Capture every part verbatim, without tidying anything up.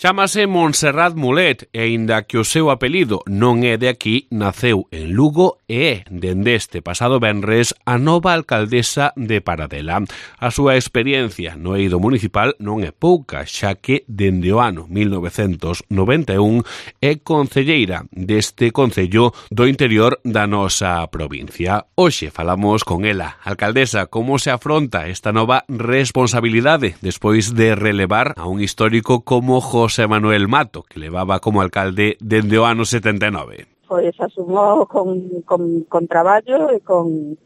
Chámase Montserrat Mulet e, aínda que o seu apelido non é de aquí, naceu en Lugo e é, dende este pasado venres, a nova alcaldesa de Paradela. A súa experiencia no eido municipal non é pouca, xa que dende o ano mil novecentos noventa e un é concelleira deste concello do interior da nosa provincia. Hoxe falamos con ela. Alcaldesa, como se afronta esta nova responsabilidade despois de relevar a un histórico como José Manuel Mato, que levaba como alcalde dende o ano setenta e nove? Pois asumou con, con, con traballo e con,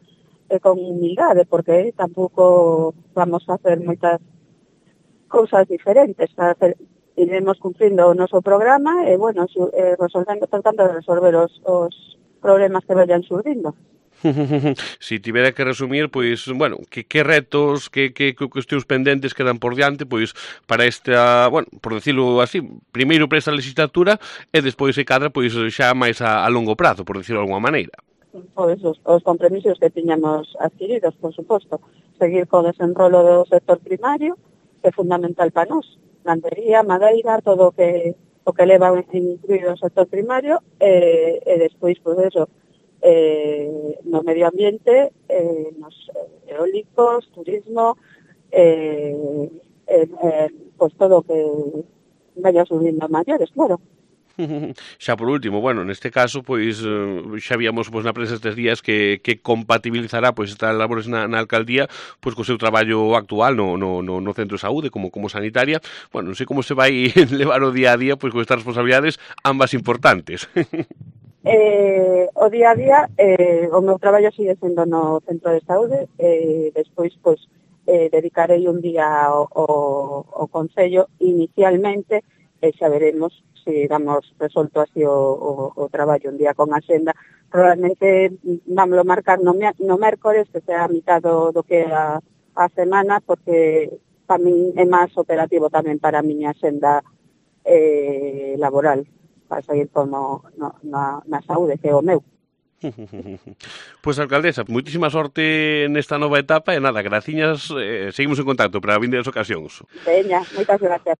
e con humildade, porque tampouco vamos a hacer moitas cousas diferentes. Hacer, iremos cumprindo o noso programa e, bueno, eh, resolvendo, tratando de resolver os, os problemas que vayan surdindo. Si tivera que resumir, pois, bueno, que, que retos, que, que, que cuestións pendentes quedan por diante, pois, para esta, bueno, por decirlo así, primeiro para esta legislatura e despois, se cadra, pois, xa máis a, a longo prazo, por decirlo de alguma maneira. Pois os, os compromisos que tiñamos adquiridos, por suposto, seguir co desenrolo do sector primario, que é fundamental para nós, gandería, madeira, todo o que, o que leva incluído o sector primario, e, e despois, pois, eso, Eh, no medio ambiente, eh, nos eólicos, turismo, eh, eh, eh, pues todo o que vaya subindo a maiores, claro. Xa por último, bueno, neste caso, pois, xa víamos pois, na prensa estes días que, que compatibilizará pois, estas labores na, na alcaldía pois, co seu traballo actual no, no, no, no centro de saúde, como, como sanitaria. Bueno, non sei como se vai levar o día a día pois, con estas responsabilidades ambas importantes. Eh, o día a día, eh, o meu traballo sigue sendo no centro de saúde, eh, despois, pois, eh, dedicarei un día ao, ao, ao Concello inicialmente, e xa veremos se damos resolto así o, o, o traballo un día con axenda. Probablemente vámoslo marcar no, no mércores, que sea a mitad do, do que a, a semana, porque para min é máis operativo tamén para a miña axenda eh, laboral, para seguir como no, na, na saúde, que é o meu. Pois, alcaldesa, moitísima sorte nesta nova etapa e nada, graciñas, eh, seguimos en contacto para vindeiras ocasións. Veña, moitas gracias.